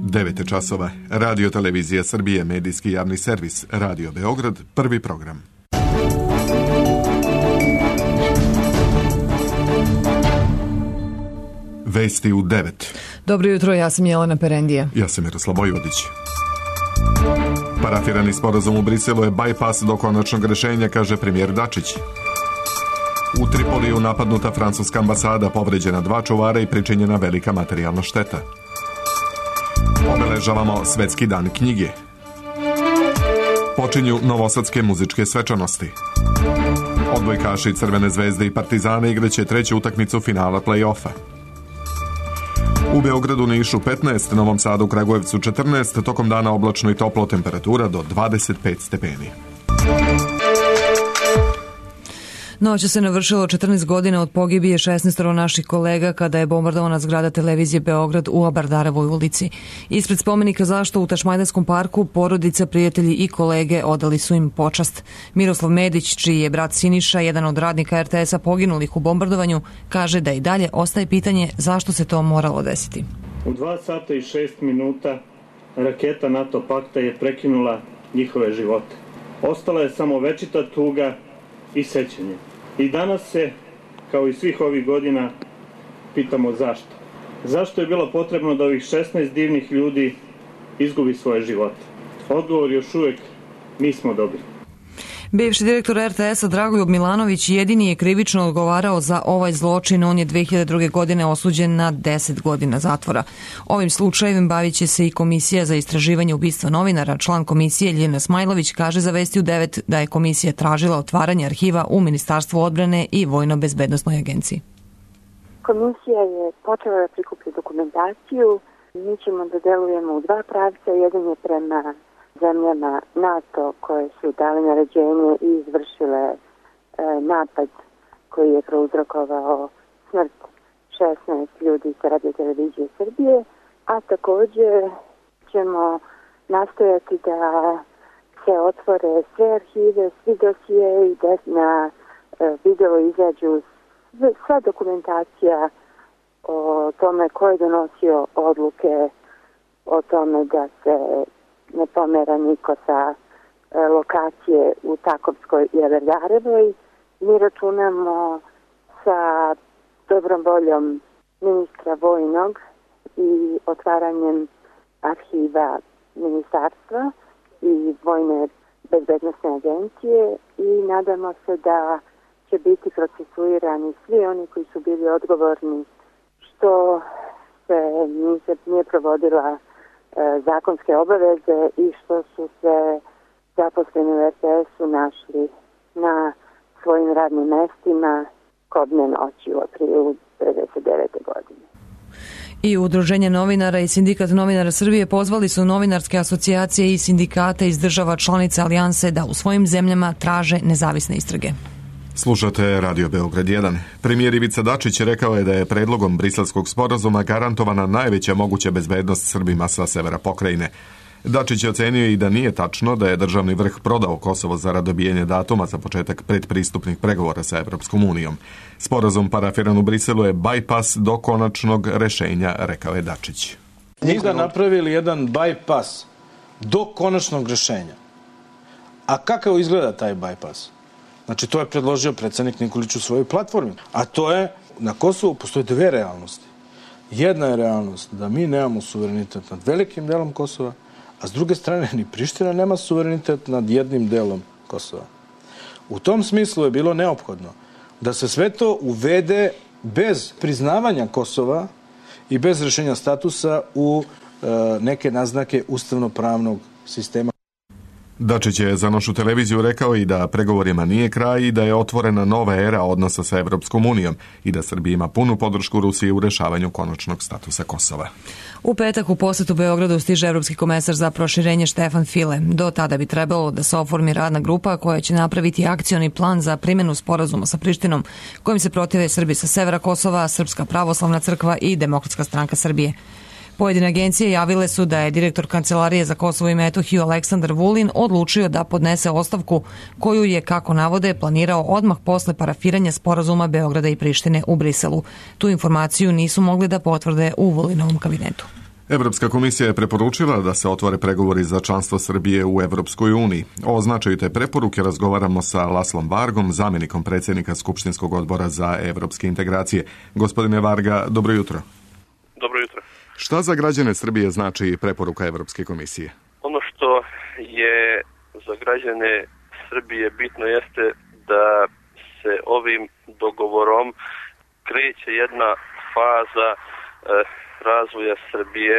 9 časova. Radio Televizija Srbije, medijski javni servis, Radio Beograd, prvi program. Vesti u 9. Dobro jutro, ja sam Jelena Perendija. Ja sam Miroslav Vojvodić. Parafirani sporazum u Briselu je bajpas do konačnog rešenja, kaže premijer Dačić. U Tripoliju napadnuta francuska ambasada, povređena 2 čuvara i pričinjena velika materijalna šteta. Obeležavamo Svetski dan knjige. Počinju novosadske muzičke svečanosti. Odbojkaši Crvene zvezde i Partizana igraće 3. utakmicu finala play-offa. U Beogradu, Nišu 15, Novom Sadu, Kragujevcu 14, tokom dana oblačno i toplo, temperatura do 25 stepeni. Noć se navršilo 14 godina od pogibije 16 naših kolega kada je bombardovana zgrada televizije Beograd u Abardarevoj ulici. Ispred spomenika zašto u Tašmajdanskom parku porodica, prijatelji i kolege odali su im počast. Miroslav Medić, čiji je brat Siniša, jedan od radnika RTS-a poginulih u bombardovanju, kaže da i dalje ostaje pitanje zašto se to moralo desiti. U 2 sata i 6 minuta raketa NATO pakta je prekinula njihove živote. Ostala je samo večita tuga i sećanje. I danas se, kao i svih ovih godina, pitamo zašto. Zašto je bilo potrebno da ovih 16 divnih ljudi izgubi svoje živote? Odgovor još uvijek nismo dobili. Bivši direktor RTS-a Dragoljub Milanović jedini je krivično odgovarao za ovaj zločin. On je 2002. godine osuđen na 10 godina zatvora. Ovim slučajem bavit će se i Komisija za istraživanje ubistva novinara. Član komisije Ljiljana Smajlović kaže za Vesti u 9 da je komisija tražila otvaranje arhiva u Ministarstvu odbrane i Vojno-bezbednosnoj agenciji. Komisija je počela da prikuplja dokumentaciju. Mi ćemo da delujemo u 2 pravca. Jedan je prema zemljama NATO koje su dale naređenje i izvršile napad koji je prouzrokovao smrt 16 ljudi sa Radio Televizije Srbije, a također ćemo nastojati da se otvore sve arhive, svi dosije i da na video izađu sva dokumentacija o tome ko je donosio odluke o tome da se ne pomera niko sa lokacije u Takovskoj i Abardarevoj. Mi računamo sa dobrom voljom ministra vojnog i otvaranjem arhiva ministarstva i Vojne bezbednosne agencije i nadamo se da će biti procesuirani svi oni koji su bili odgovorni što se nije provodila zakonske obaveze i što su se zaposleni u RTS-u našli na svojim radnim mestima kobne noći u aprilu 1999. godine. I Udruženje novinara i Sindikat novinara Srbije pozvali su novinarske asocijacije i sindikate iz država članica Alijanse da u svojim zemljama traže nezavisne istrage. Slušate Radio Beograd 1. Premijer Ivica Dačić rekao je da je predlogom briselskog sporazuma garantovana najveća moguća bezbednost Srbima sa severa pokrajine. Dačić je ocenio i da nije tačno da je državni vrh prodao Kosovo zarad dobijanja datuma za početak predpristupnih pregovora sa Evropskom unijom. Sporazum parafiran u Briselu je bajpas do konačnog rešenja, rekao je Dačić. Mi da napravili jedan bajpas do konačnog rešenja. A kako izgleda taj bajpas? Znači, to je predložio predsjednik Nikolić u svojoj platformi. A to je, na Kosovu postoje 2 realnosti. Jedna je realnost da mi nemamo suverenitet nad velikim delom Kosova, a s druge strane ni Priština nema suverenitet nad jednim delom Kosova. U tom smislu je bilo neophodno da se sve to uvede bez priznavanja Kosova i bez rešenja statusa u neke naznake ustavno-pravnog sistema. Dačić je za našu televiziju rekao i da pregovorima nije kraj i da je otvorena nova era odnosa sa Evropskom unijom i da Srbija ima punu podršku Rusije u rešavanju konačnog statusa Kosova. U petak u posetu Beogradu stiže Evropski komesar za proširenje Štefan File. Do tada bi trebalo da se oformi radna grupa koja će napraviti akcioni plan za primjenu sporazuma sa Prištinom, kojim se protive Srbi sa severa Kosova, Srpska pravoslavna crkva i Demokratska stranka Srbije. Pojedine agencije javile su da je direktor Kancelarije za Kosovo i Metohiju Aleksandar Vulin odlučio da podnese ostavku koju je, kako navode, planirao odmah posle parafiranja sporazuma Beograda i Prištine u Briselu. Tu informaciju nisu mogli da potvrde u Vulinovom kabinetu. Evropska komisija je preporučila da se otvore pregovori za članstvo Srbije u Evropskoj uniji. O značaju te preporuke razgovaramo sa Laslom Vargom, zamjenikom predsjednika Skupštinskog odbora za evropske integracije. Gospodine Varga, dobro jutro. Dobro jutro. Šta za građane Srbije znači preporuka Evropske komisije? Ono što je za građane Srbije bitno jeste da se ovim dogovorom kreće jedna faza razvoja Srbije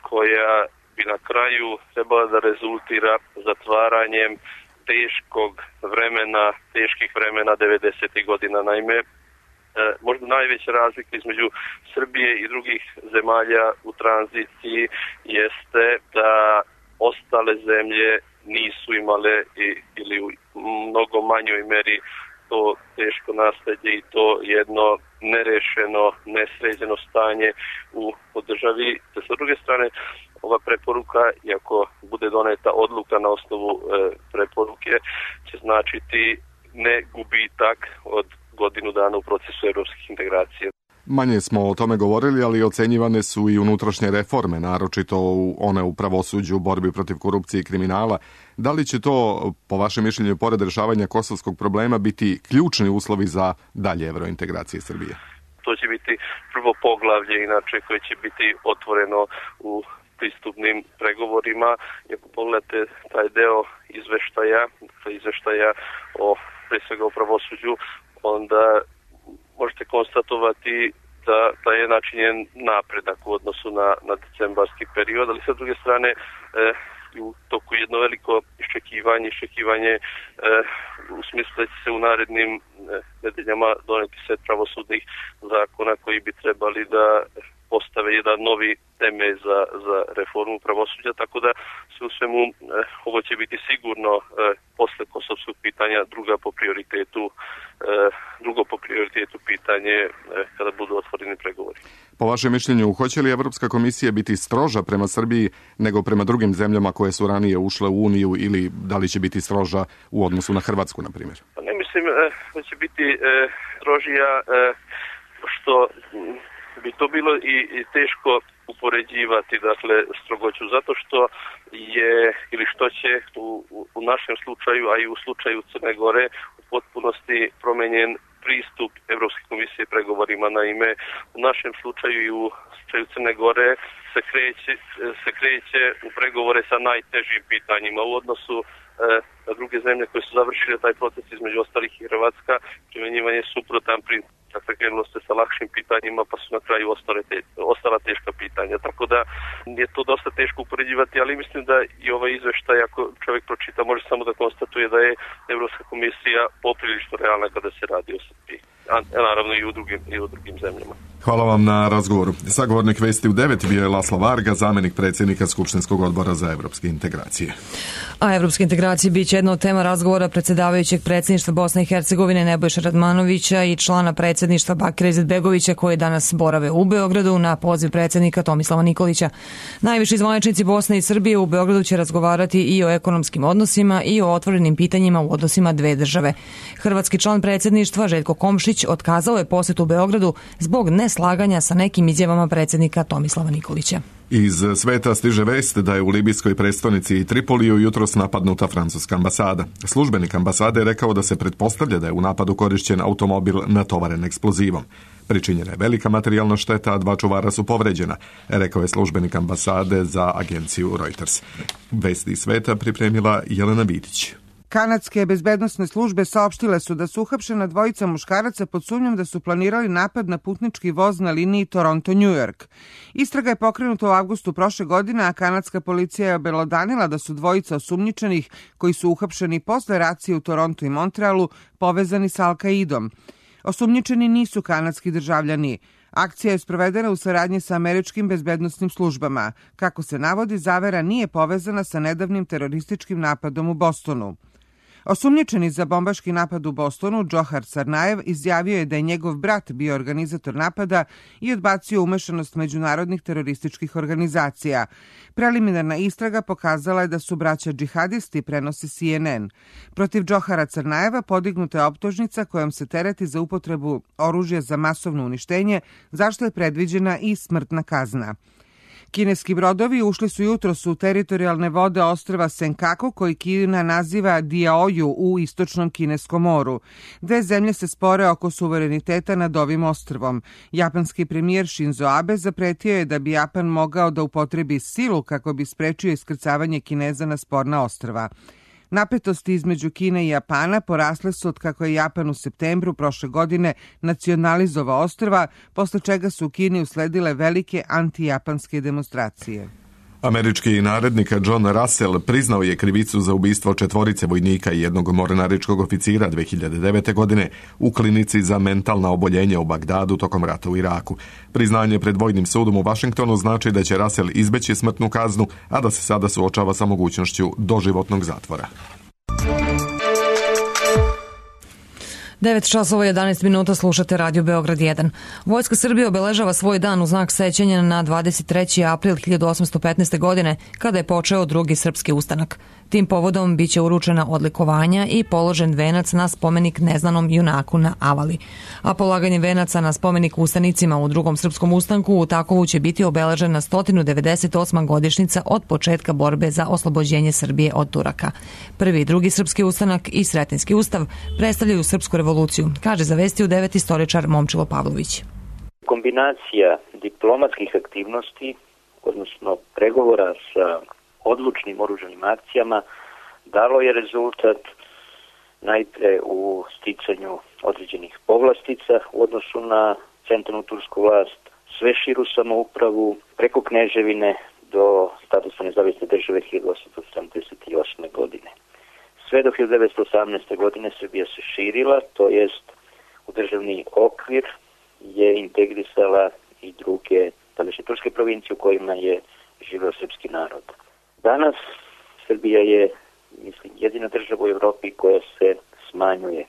koja bi na kraju trebala da rezultira zatvaranjem teških vremena 90. godina. Naime, možda najveća razlika između Srbije i drugih zemalja u tranziciji jeste da ostale zemlje nisu imale ili u mnogo manjoj meri to teško nasleđe i to jedno nerešeno, nesređeno stanje u državi. Sa druge strane, ova preporuka, iako bude doneta odluka na osnovu preporuke, će značiti ne gubitak od godinu dana u procesu evropskih integracija. Manje smo o tome govorili, ali ocenjivane su i unutrašnje reforme, naročito one u pravosuđu, borbi protiv korupcije i kriminala. Da li će to, po vašem mišljenju, pored rešavanja kosovskog problema, biti ključni uslovi za dalje evrointegracije Srbije? To će biti prvo poglavlje, inače, koje će biti otvoreno u pristupnim pregovorima. I ako pogledate taj deo izveštaja pre svega o pravosuđu, onda možete konstatovati da je načinjen napredak u odnosu na decembarski period, ali sa druge strane u toku jedno veliko iščekivanje u smislu da će se u narednim nedeljama doneti set pravosudnih zakona koji bi trebali da postave jedan novi temelj za reformu pravosuđa, tako da sve u svemu ovo će biti sigurno posle kosovskog pitanja drugo po prioritetu pitanje kada budu otvoreni pregovori. Po vašem mišljenju, hoće li Evropska komisija biti stroža prema Srbiji nego prema drugim zemljama koje su ranije ušle u Uniju ili da li će biti stroža u odnosu na Hrvatsku, na primjer? Ne mislim da će biti strožija, što bi to bilo i teško upoređivati, dakle, strogoću, zato što će u našem slučaju, a i u slučaju Crne Gore, u potpunosti promenjen pristup Evropske komisije pregovorima. Naime, u našem slučaju i u slučaju Crne Gore se kreće u pregovore sa najtežim pitanjima u odnosu na druge zemlje koje su završile taj proces, između ostalih i Hrvatska, primenjivanje suprotan princip. Dakle, krenulo se sa lakšim pitanjima, pa su na kraju ostala teška pitanja. Tako da je to dosta teško upoređivati, ali mislim da i ovaj izveštaj, ako čovjek pročita, može samo da konstatuje da je Evropska komisija poprilično realna kada se radi o Srbiji. A naravno i u drugim zemljama. Hvala vam na razgovoru. Sagovornik Vesti u 9 bio je Laslo Varga, zamjenik predsjednika Skupštinskog odbora za evropske integracije. A evropske integracije biće jedna od tema razgovora predsjedavajućeg predsjedništva Bosne i Hercegovine Nebojše Radmanovića i člana predsjedništva Bakira Izetbegovića koji danas borave u Beogradu na poziv predsjednika Tomislava Nikolića. Najviši zvaničnici Bosne i Srbije u Beogradu će razgovarati i o ekonomskim odnosima i o otvorenim pitanjima u odnosima dve države. Hrvatski član predsjedništva Željko Komšić otkazao je posjet u Beogradu zbog neslaganja sa nekim izjavama predsjednika Tomislava Nikolića. Iz sveta stiže vest da je u libijskoj prestonici Tripoliju jutros napadnuta francuska ambasada. Službenik ambasade je rekao da se pretpostavlja da je u napadu korišćen automobil natovaren eksplozivom. Pričinjena je velika materijalna šteta, a 2 čuvara su povređena, rekao je službenik ambasade za agenciju Reuters. Vesti iz sveta pripremila Jelena Vidić. Kanadske bezbednosne službe saopštile su da su uhapšena dvojica muškaraca pod sumnjom da su planirali napad na putnički voz na liniji Toronto-New York. Istraga je pokrenuta u avgustu prošle godine, a kanadska policija je obelodanila da su dvojica osumnjičenih koji su uhapšeni posle racije u Torontu i Montrealu povezani sa Al-Kaidom. Osumnjičeni nisu kanadski državljani. Akcija je sprovedena u saradnji sa američkim bezbednosnim službama. Kako se navodi, zavera nije povezana sa nedavnim terorističkim napadom u Bostonu. Osumnjičeni za bombaški napad u Bostonu, Džohar Sarnajev, izjavio je da je njegov brat bio organizator napada i odbacio umešanost međunarodnih terorističkih organizacija. Preliminarna istraga pokazala je da su braća džihadisti, prenosi CNN. Protiv Džohara Sarnajeva podignuta je optužnica kojom se tereti za upotrebu oružja za masovno uništenje, zašto je predviđena i smrtna kazna. Kineski brodovi ušli su jutros u teritorijalne vode ostrva Senkaku, koji Kina naziva Diaoju u istočnom Kineskom moru. Dve zemlje se spore oko suvereniteta nad ovim ostrvom. Japanski premijer Shinzo Abe zapretio je da bi Japan mogao da upotrebi silu kako bi sprečio iskrcavanje Kineza na sporna ostrva. Napetosti između Kine i Japana porasle su od kako je Japan u septembru prošle godine nacionalizovao ostrva, posle čega su u Kini usledile velike antijapanske demonstracije. Američki narednik John Russell priznao je krivicu za ubistvo 4 vojnika i 1 mornaričkog oficira 2009. godine u klinici za mentalna oboljenja u Bagdadu tokom rata u Iraku. Priznanje pred vojnim sudom u Vašingtonu znači da će Russell izbeći smrtnu kaznu, a da se sada suočava sa mogućnošću doživotnog zatvora. 9 časova 11 minuta, slušate Radio Beograd 1. Vojska Srbije obeležava svoj dan u znak sećanja na 23. april 1815. godine, kada je počeo drugi srpski ustanak. Tim povodom biće uručena odlikovanja i položen venac na spomenik neznanom junaku na Avali. A polaganje venaca na spomenik ustanicima u drugom srpskom ustanku u Takovu će biti obeležena 198. godišnjica od početka borbe za oslobođenje Srbije od Turaka. Prvi i drugi srpski ustanak i Sretenjski ustav predstavljaju srpsku revoluciju, kaže za Vesti u 9 istoričar Momčilo Pavlović. Kombinacija diplomatskih aktivnosti, odnosno pregovora sa odlučnim oružanim akcijama, dalo je rezultat najpre u sticanju određenih povlastica u odnosu na centralnu tursku vlast, sve širu samoupravu preko kneževine do statusa nezavisne države 1878. godine. Sve do 1918. godine Srbija se širila, to jest u državni okvir je integrisala i druge tadašnje turske provincije u kojima je živeo srpski narod. Danas Srbija je, mislim, jedina država u Evropi koja se smanjuje.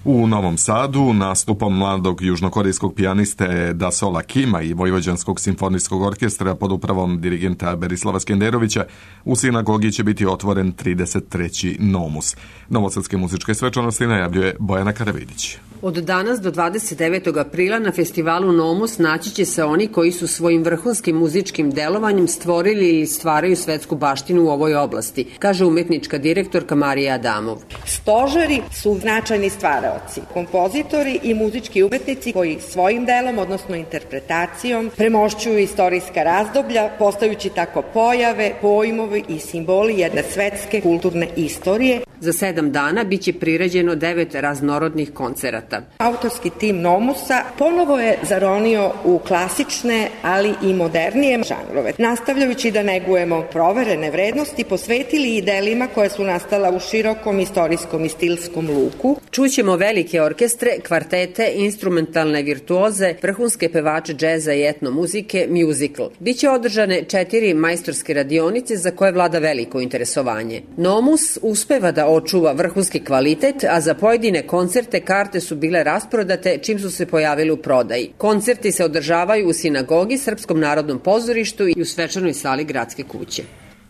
U Novom Sadu nastupom mladog južnokorejskog pijaniste Dasola Kima i Vojvođanskog simfonijskog orkestra pod upravom dirigenta Berislava Skenderovića u sinagogi će biti otvoren 33. Nomus. Novosadske muzičke svečanosti najavljuje Bojana Karavidić. Od danas do 29. aprila na festivalu Nomus naći će se oni koji su svojim vrhunskim muzičkim delovanjem stvorili ili stvaraju svetsku baštinu u ovoj oblasti, kaže umetnička direktorka Marija Adamov. Stožeri su značajni stvaraoci, kompozitori i muzički umetnici koji svojim delom, odnosno interpretacijom, premošćuju istorijska razdoblja, postajući tako pojave, pojmovi i simboli jedne svetske kulturne istorije. Za 7 dana biće priređeno 9 raznorodnih koncerata. Autorski tim Nomusa ponovo je zaronio u klasične, ali i modernije žanrove. Nastavljajući da negujemo proverene vrednosti, posvetili i delima koje su nastala u širokom istorijskom i stilskom luku. Čućemo velike orkestre, kvartete, instrumentalne virtuoze, vrhunske pevače džeza i etno muzike, musical. Biće održane 4 majstorske radionice za koje vlada veliko interesovanje. Nomus uspeva da očuva vrhunski kvalitet, a za pojedine koncerte karte su bile rasprodate čim su se pojavili u prodaji. Koncerti se održavaju u sinagogi, Srpskom narodnom pozorištu i u svečanoj sali Gradske kuće.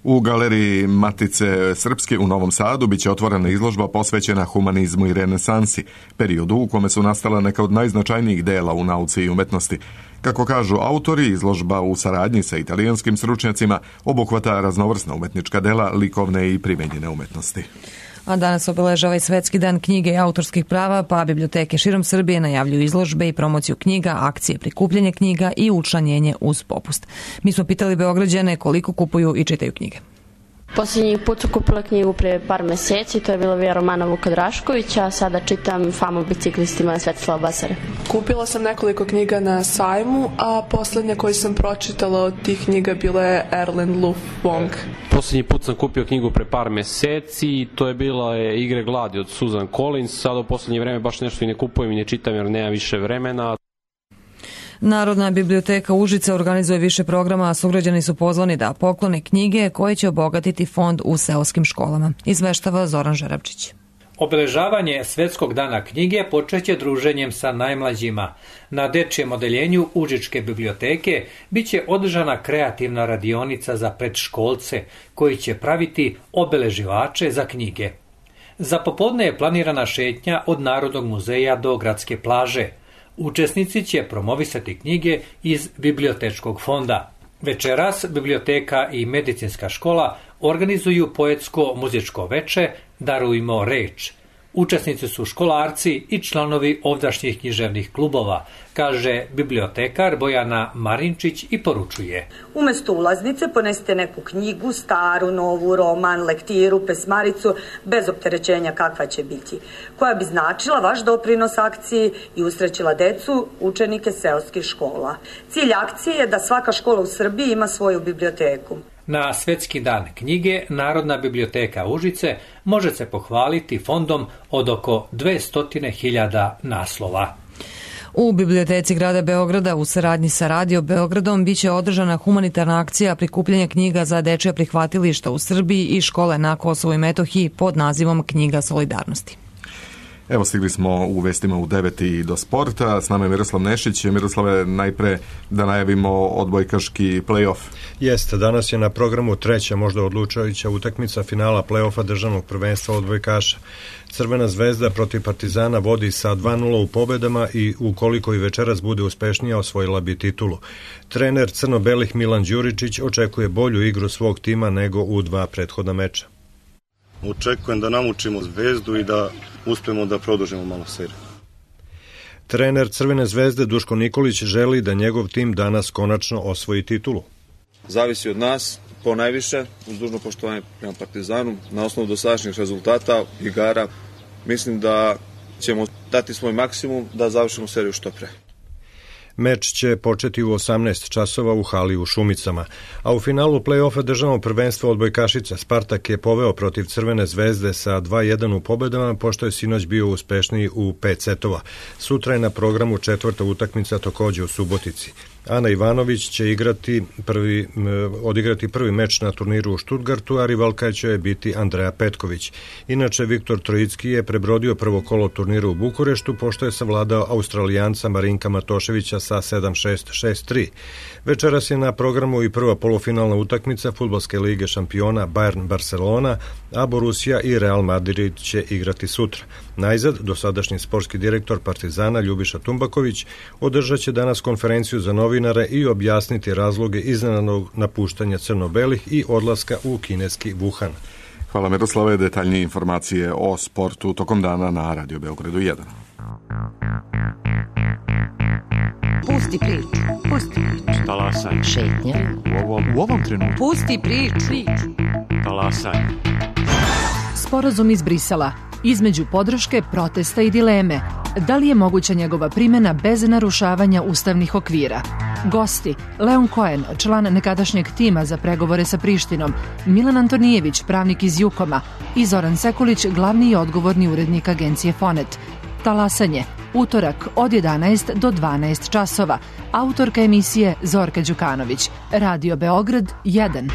U galeriji Matice Srpske u Novom Sadu biće otvorena izložba posvećena humanizmu i renesansi, periodu u kome su nastala neka od najznačajnijih dela u nauci i umetnosti. Kako kažu autori, izložba u saradnji sa italijanskim stručnjacima obuhvata raznovrsna umetnička dela, likovne i primenjene umetnosti. A danas obeležava i Svetski dan knjige i autorskih prava, pa biblioteke širom Srbije najavljuju izložbe i promociju knjiga, akcije prikupljanja knjiga i učlanjenje uz popust. Mi smo pitali Beograđane koliko kupuju i čitaju knjige. Posljednji put su kupila knjigu pre par meseci, to je bila Vija romana Vuka Draškovića, a sada čitam Famu biciklistima Svetislava Basare. Kupila sam nekoliko knjiga na sajmu, a poslednja koju sam pročitala od tih knjiga bila je Erlen Luf Wong. Posljednji put sam kupio knjigu pre par meseci, to je bila Igre gladi od Susan Collins, sada u poslednje vreme baš nešto i ne kupujem i ne čitam jer nema više vremena. Narodna biblioteka Užice organizuje više programa, a sugrađani su pozvani da poklone knjige koje će obogatiti fond u seoskim školama. Izveštava Zoran Žerabčić. Obeležavanje Svetskog dana knjige počeće druženjem sa najmlađima. Na dečijem odeljenju Užičke biblioteke biće održana kreativna radionica za predškolce koji će praviti obeleživače za knjige. Za popodne je planirana šetnja od Narodnog muzeja do Gradske plaže. Učesnici će promovisati knjige iz bibliotečkog fonda. Večeras biblioteka i medicinska škola organizuju poetsko-muzičko veče Darujmo reč. Učesnici su školarci i članovi ovdašnjih književnih klubova, kaže bibliotekar Bojana Marinčić i poručuje. Umesto ulaznice ponesite neku knjigu, staru, novu, roman, lektiru, pesmaricu, bez opterećenja kakva će biti, koja bi značila vaš doprinos akciji i usrećila decu, učenike seoskih škola. Cilj akcije je da svaka škola u Srbiji ima svoju biblioteku. Na Svetski dan knjige Narodna biblioteka Užice može se pohvaliti fondom od oko 200.000 naslova. U biblioteci grada Beograda u saradnji sa Radio Beogradom biće održana humanitarna akcija prikupljanja knjiga za dečja prihvatilišta u Srbiji i škole na Kosovu i Metohiji pod nazivom Knjiga solidarnosti. Evo, stigli smo u vestima u 9 i do sporta. S nama je Miroslav Nešić. Miroslave, najpre da najavimo odbojkaški play-off. Jeste, danas je na programu treća, možda odlučujuća utakmica finala play-offa državnog prvenstva odbojkaša. Crvena zvezda protiv Partizana vodi sa 2:0 u pobedama i ukoliko i večeras bude uspešnija osvojila bi titulu. Trener crno-belih Milan Đuričić očekuje bolju igru svog tima nego u 2 prethodna meča. Očekujem da namučimo Zvezdu i da uspemo da produžimo malo seriju. Trener Crvene zvezde Duško Nikolić želi da njegov tim danas konačno osvoji titulu. Zavisi od nas, po najviše, uz dužno poštovanje prema Partizanu, na osnovu dosadašnjih rezultata, igara, mislim da ćemo dati svoj maksimum da završimo seriju što pre. Meč će početi u 18 časova u hali u Šumicama, a u finalu play-offa državnog prvenstva odbojkašica Spartak je poveo protiv Crvene zvezde sa 2:1 u pobedama, pošto je sinoć bio uspešniji u 5 setova. Sutra je na programu četvrta utakmica takođe u Subotici. Ana Ivanović će odigrati prvi meč na turniru u Štutgartu, a rivalka će je biti Andreja Petković. Inače, Viktor Trojicki je prebrodio prvo kolo turnira u Bukureštu, pošto je savladao Australijanca Marinka Matoševića sa 7-6, 6-3. Večeras je na programu i prva polufinalna utakmica Fudbalske lige šampiona Bayern Barcelona, a Borussia i Real Madrid će igrati sutra. Najzad, dosadašnji sportski direktor Partizana Ljubiša Tumbaković održat će danas konferenciju za novinare i objasniti razloge iznenadnog napuštanja crno-belih i odlaska u kineski Wuhan. Hvala Miroslave, detaljnije informacije o sportu tokom dana na Radio Beogradu 1. Pusti priču. Pusti priču. Talasaj. Šetnja. U ovom trenutku. Pusti priču. Talasaj. Sporazum iz Brisela. Između podrške, protesta i dileme. Da li je moguća njegova primjena bez narušavanja ustavnih okvira? Gosti: Leon Cohen, član nekadašnjeg tima za pregovore sa Prištinom, Milan Antonijević, pravnik iz Jukoma, i Zoran Sekulić, glavni i odgovorni urednik agencije Fonet. Talasanje, utorak od 11 do 12 časova. Autorka emisije Zorka Đukanović. Radio Beograd 1.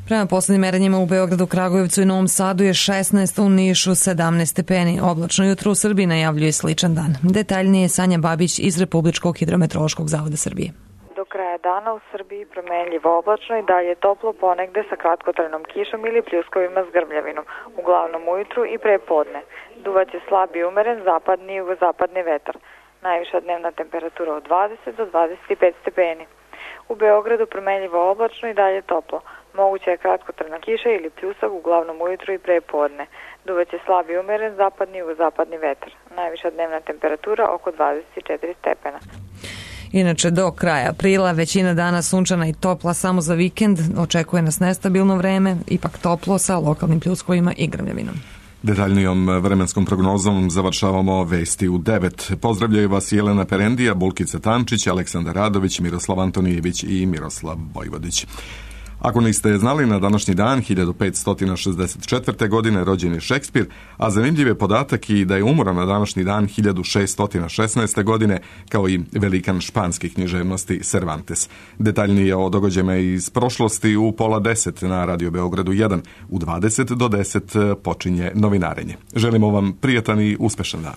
Prema poslednjim merenjima u Beogradu, Kragujevcu i Novom Sadu je 16, u Nišu 17 stepeni. Oblačno jutro u Srbiji najavljuje sličan dan. Detaljnije Sanja Babić iz Republičkog hidrometeorološkog zavoda Srbije. Do kraja dana u Srbiji promenljivo oblačno i dalje toplo, ponegde sa kratkotrajnom kišom ili pljuskovima s grmljavinom, uglavnom ujutru i pre podne. Duvaće slab i umeren zapadni i jugozapadni vetar. Najviša dnevna temperatura od 20 do 25 stepeni. U Beogradu promenljivo oblačno i dalje toplo. Moguća je kratkotrajna kiša ili pljusak, uglavnom ujutru i pre podne. Duvaće slab i umeren zapadni i jugozapadni vetar. Najviša dnevna temperatura oko 24 stepena. Inače, do kraja aprila većina dana sunčana i topla, samo za vikend očekuje nas nestabilno vreme, ipak toplo sa lokalnim pljuskovima i grmljavinom. Detaljnijom vremenskom prognozom završavamo vesti u 9. Pozdravljaju vas Jelena Perendija, Bulkica Tančić, Aleksandar Radović, Miroslav Antonijević i Miroslav Vojvodić. Ako niste znali, na današnji dan 1564. godine rođen je Šekspir, a zanimljiv je podatak i da je umro na današnji dan 1616. godine kao i velikan španskih književnosti Cervantes. Detaljnije o događajima iz prošlosti u 9:30 na Radio Beogradu 1. U 20 do 10 počinje novinarenje. Želimo vam prijatan i uspešan dan.